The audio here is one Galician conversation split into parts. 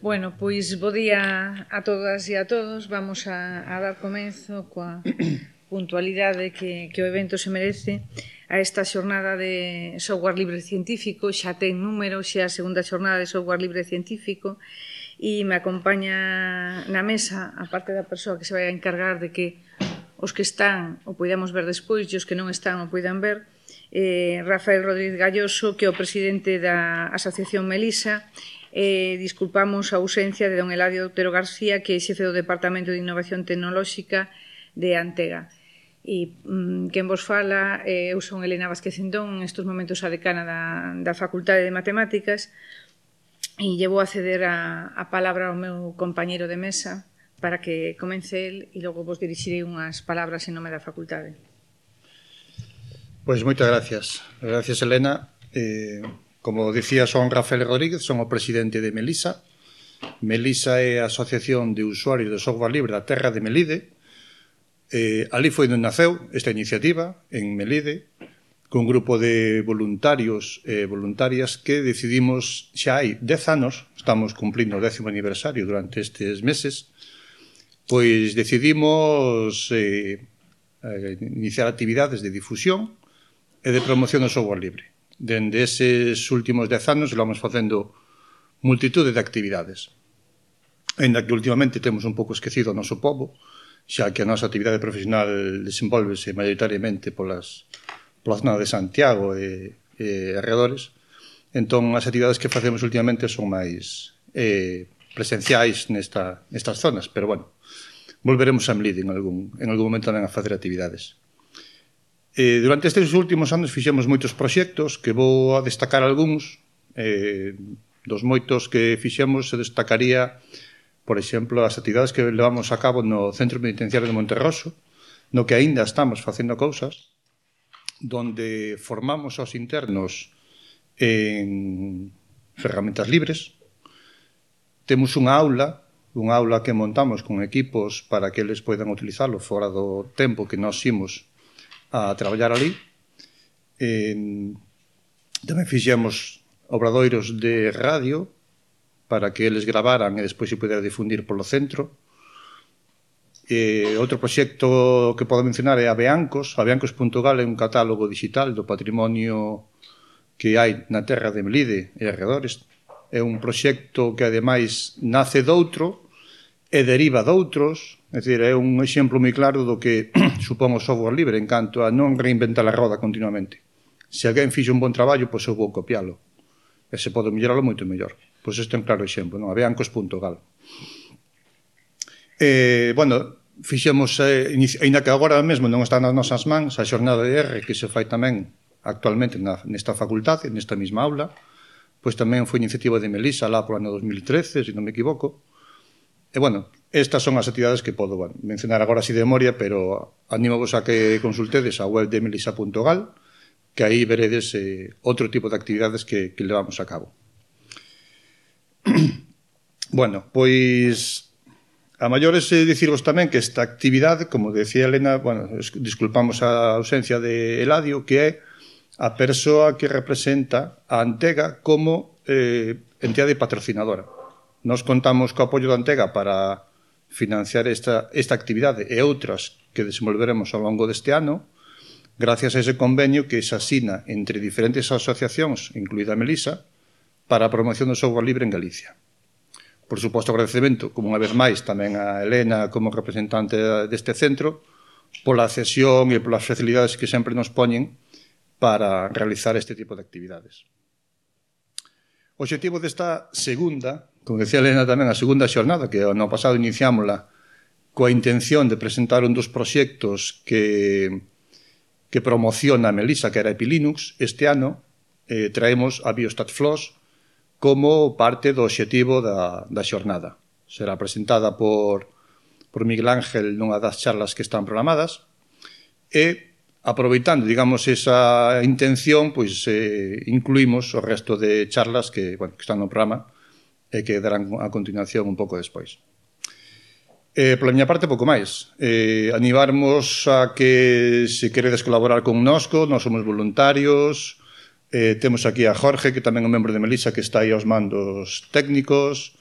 Bueno, pois bo día a todas e a todos. Vamos a dar comenzo coa puntualidade que o evento se merece a esta xornada de software libre científico. Xa ten número, xa a segunda xornada de software libre científico, e me acompaña na mesa, a parte da persoa que se vai a encargar de que os que están o poidamos ver despois e os que non están o poidan ver, Rafael Rodríguez Galloso, que é o presidente da Asociación Melisa. Disculpamos a ausencia de don Eladio Otero García, que é xefe do Departamento de Innovación Tecnolóxica de Antega. E quen vos fala, eu son Elena Vázquez Cendón, en estes momentos a decana da Facultade de Matemáticas, e llevo a ceder a palabra ao meu compañeiro de mesa para que comence el e logo vos dirixirei unhas palabras en nome da facultade. Pois moitas gracias. Gracias, Elena. Como dicía, son Rafael Rodríguez, son o presidente de Melisa. Melisa é a Asociación de Usuarios de Software Libre da Terra de Melide. Ali foi onde naceu esta iniciativa, en Melide, con un grupo de voluntarios e voluntarias que decidimos, xa hai 10 anos, estamos cumplindo o 10º aniversario durante estes meses, pois decidimos iniciar actividades de difusión e de promoción do software libre. Dende eses últimos 10 anos vamos facendo multitude de actividades. Ainda que últimamente temos un pouco esquecido o noso povo, xa que a nosa actividade profesional desenvolvese maioritariamente pola zona de Santiago e arredores, entón as actividades que facemos últimamente son máis presenciais nestas zonas, pero bueno, volveremos a Melide en algún momento tamén a facer actividades. Durante estes últimos anos fixemos moitos proxectos que vou a destacar algúns. Dos moitos que fixemos se destacaría, por exemplo, as actividades que levamos a cabo no Centro Penitenciario de Monterroso, no que aínda estamos facendo cousas, donde formamos aos internos en ferramentas libres. Temos unha aula que montamos con equipos para que eles poidan utilizarlo fora do tempo que nós imos a traballar ali. Tamén fixemos obradoiros de radio para que eles gravaran e despois se pudera difundir polo centro. Outro proxecto que podo mencionar é Aveancos. Aveancos.gal é un catálogo digital do patrimonio que hai na terra de Melide e arredores. É un proxecto que ademais nace doutro e deriva doutros. É dicir, é un exemplo moi claro do que supón o software libre en canto a non reinventar a roda continuamente. Se alguén fixe un bon traballo, pois eu vou copialo. E se pode melloralo moito mellor. Pois este é un claro exemplo, non? Aveancos.gal. Bueno, fixemos, ainda que agora mesmo non está nas nosas mans, a xornada de R que se fai tamén actualmente nesta facultade, nesta mesma aula, pois tamén foi iniciativa de Melisa lá por ano 2013, se non me equivoco. E, bueno, estas son as actividades que podo mencionar agora así de memoria, pero animo-vos a que consultedes a web de melisa.gal, que aí veredes outro tipo de actividades que levamos a cabo. Bueno, pois a maiores dicirvos tamén que esta actividade, como decía Elena, bueno, disculpamos a ausencia de Eladio, que é a persoa que representa a Antega como entidade patrocinadora. Nos contamos co apoio da Antega para financiar esta actividade e outras que desenvolveremos ao longo deste ano, gracias a ese convenio que se asina entre diferentes asociacións, incluída a Melisa, para a promoción do software libre en Galicia. Por suposto, agradecemento, como unha vez máis, tamén a Elena como representante deste centro, pola cesión e polas facilidades que sempre nos poñen para realizar este tipo de actividades. O obxectivo desta segunda, como decía Elena tamén, a segunda xornada, que no pasado iniciámola coa intención de presentar un dos proxectos que promociona a Melisa, que era Epilinux, este ano traemos a BiostatFloss como parte do obxectivo da xornada. Será presentada por Miguel Ángel nunha das charlas que están programadas e, aproveitando, digamos, esa intención, pois incluímos o resto de charlas que están no programa e que darán a continuación un pouco despois. Pola miña parte, pouco máis. Animarmos a que se queredes colaborar connosco, nós somos voluntarios. Temos aquí a Jorge, que tamén é un membro de Melisa, que está aí aos mandos técnicos.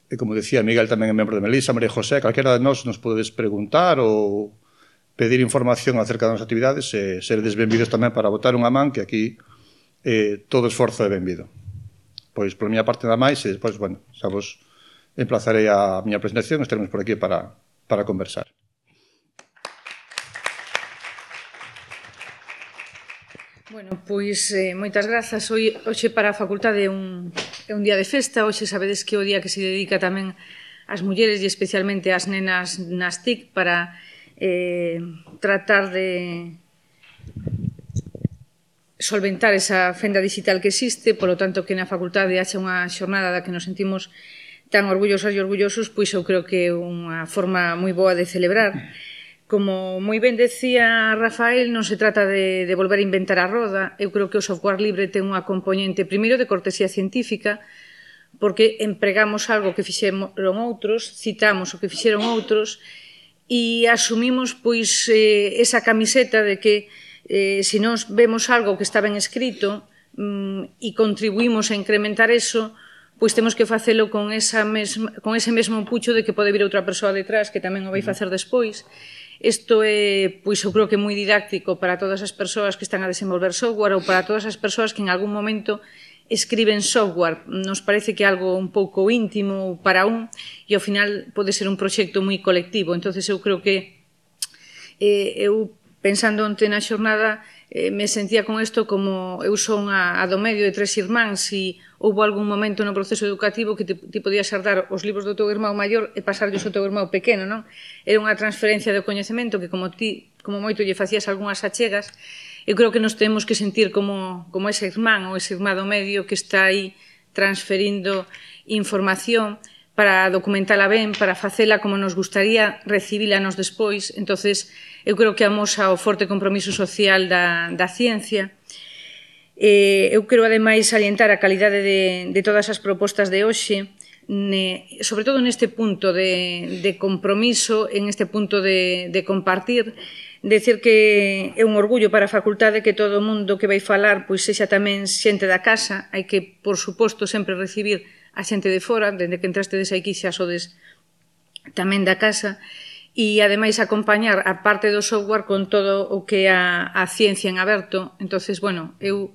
E como decía, Miguel tamén é membro de Melisa, María José, calquera de nós nos podedes preguntar ou pedir información acerca das actividades e seredes benvidos tamén para botar unha man, que aquí todo esforzo é benvido. Pois, por miña parte nada máis, e despois, bueno, xa vos emplazarei a miña presentación, estaremos por aquí para conversar. Bueno, pois moitas grazas. Hoxe para a facultade é un día de festa. Hoxe sabedes que é o día que se dedica tamén ás mulleres e especialmente ás nenas nas TIC para tratar de solventar esa fenda digital que existe. Polo tanto, que na facultade haxa unha xornada da que nos sentimos tan orgullosas e orgullosos, pois eu creo que é unha forma moi boa de celebrar. Como moi ben decía Rafael, non se trata de volver a inventar a roda. Eu creo que o software libre ten unha componente, primeiro, de cortesía científica, porque empregamos algo que fixeron outros, citamos o que fixeron outros, e asumimos pois esa camiseta de que se nós vemos algo que está ben escrito e contribuímos a incrementar eso, pois temos que facelo con ese mesmo pucho de que pode vir outra persoa detrás que tamén o vai facer despois. Isto é, pois, eu creo que moi didáctico para todas as persoas que están a desenvolver software ou para todas as persoas que en algún momento escriben software. Nos parece que é algo un pouco íntimo para un e ao final pode ser un proxecto moi colectivo. Entonces eu creo que eu, pensando onte na xornada, me sentía con isto como eu son a do medio de 3 irmáns e houve algún momento no proceso educativo que ti podías herdar os libros do teu irmão maior e pasarllos ao teu irmão pequeno, non? Era unha transferencia de coñecemento que como moito lle facías algunhas achegas, eu creo que nos temos que sentir como ese irmán ou ese irmán do medio que está aí transferindo información para documentala ben, para facela como nos gustaría recibila nos despois. Entonces, eu creo que amosa o forte compromiso social da ciencia. Eu quero, ademais, salientar a calidade de todas as propostas de hoxe, sobre todo neste punto de compromiso, en este punto de compartir, decir que é un orgullo para a facultade que todo o mundo que vai falar pois sexa tamén xente da casa. Hai que, por suposto, sempre recibir a xente de fora, dende que entrastedes aquí xa sodes tamén da casa, e ademais acompañar a parte do software con todo o que é a ciencia en aberto. Entonces, bueno, eu,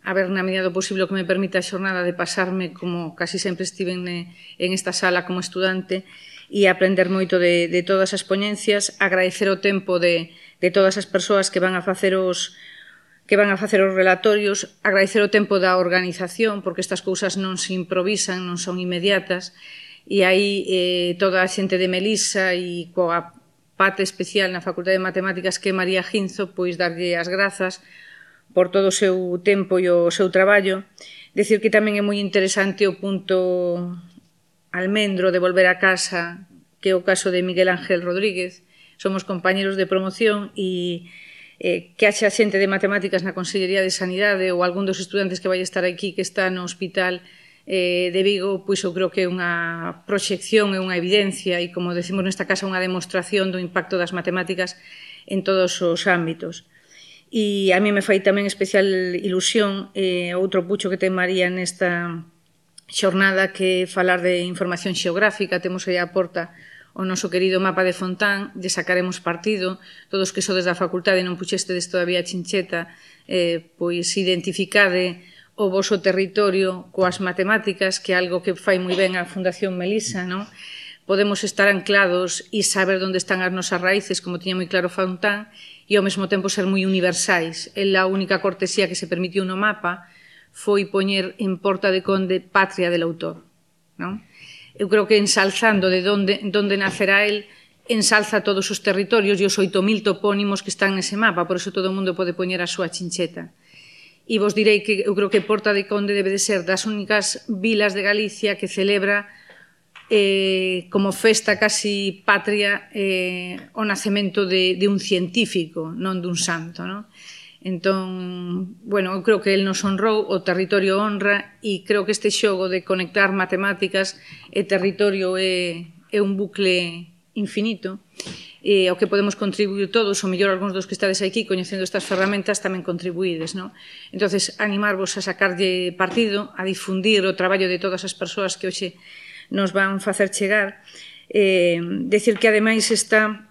a ver, na medida do posible, o que me permite a xornada de pasarme, como casi sempre estive en esta sala como estudante, e aprender moito de todas as poñencias, agradecer o tempo de todas as persoas que van a facer os relatorios, agradecer o tempo da organización, porque estas cousas non se improvisan, non son inmediatas, e aí toda a xente de Melisa e coa parte especial na Facultade de Matemáticas que é María Ginzo, pois darlle as grazas por todo o seu tempo e o seu traballo. Decir que tamén é moi interesante o punto almendro de volver a casa, que é o caso de Miguel Ángel Rodríguez. Somos compañeros de promoción e que haxa xente de matemáticas na Consellería de Sanidade ou algún dos estudantes que vai estar aquí que está no hospital de Vigo, pois eu creo que é unha proxección, é unha evidencia e, como decimos nesta casa, unha demostración do impacto das matemáticas en todos os ámbitos. E a mí me fai tamén especial ilusión outro pucho que ten María nesta xornada, que é falar de información xeográfica. Temos aí a porta o noso querido mapa de Fontán, lle sacaremos partido. Todos que sodes da facultade e non puxestedes todavía a chincheta, pois identificade o voso territorio coas matemáticas, que é algo que fai moi ben a Fundación Melisa, non? Podemos estar anclados e saber onde están as nosas raíces, como tiña moi claro Fontán, e ao mesmo tempo ser moi universais. A única cortesía que se permitiu no mapa foi poñer en Porta de Conde Patria del autor, non? Eu creo que ensalzando de onde nacerá el, ensalza todos os territorios e os 8.000 topónimos que están nese mapa, por eso todo o mundo pode poñer a súa chincheta. E vos direi que eu creo que Porta de Conde debe de ser das únicas vilas de Galicia que celebra como festa casi patria o nacemento de un científico, non dun santo, non? Entón, bueno, eu creo que el nos honrou, o territorio honra, e creo que este xogo de conectar matemáticas e territorio é un bucle infinito, e ao que podemos contribuir todos, ou mellor algúns dos que estades aquí coñecendo estas ferramentas tamén contribuídes, non? Entonces, animarvos a sacarlle partido, a difundir o traballo de todas as persoas que hoxe nos van facer chegar. Decir que ademais está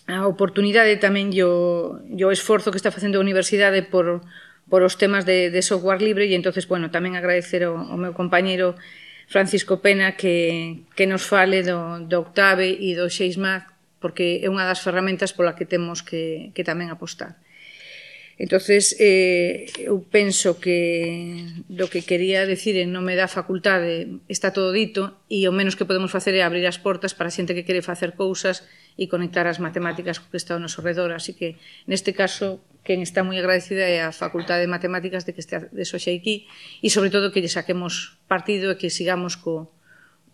a oportunidade tamén e o esforzo que está facendo a universidade por os temas de software libre e entonces, bueno, tamén agradecer ao meu compañeiro Francisco Pena que nos fale do Octave e do Xeismath porque é unha das ferramentas pola que temos que tamén apostar. Entonces, eu penso que do que quería decir en nome da facultade está todo dito e o menos que podemos facer é abrir as portas para a xente que quere facer cousas e conectar as matemáticas co que está ao noso redor. Así que, neste caso, quen está moi agradecida é a Facultade de Matemáticas de que este hoxe aquí e, sobre todo, que lle saquemos partido e que sigamos co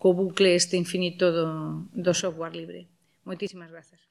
bucle este infinito do software libre. Moitísimas grazas.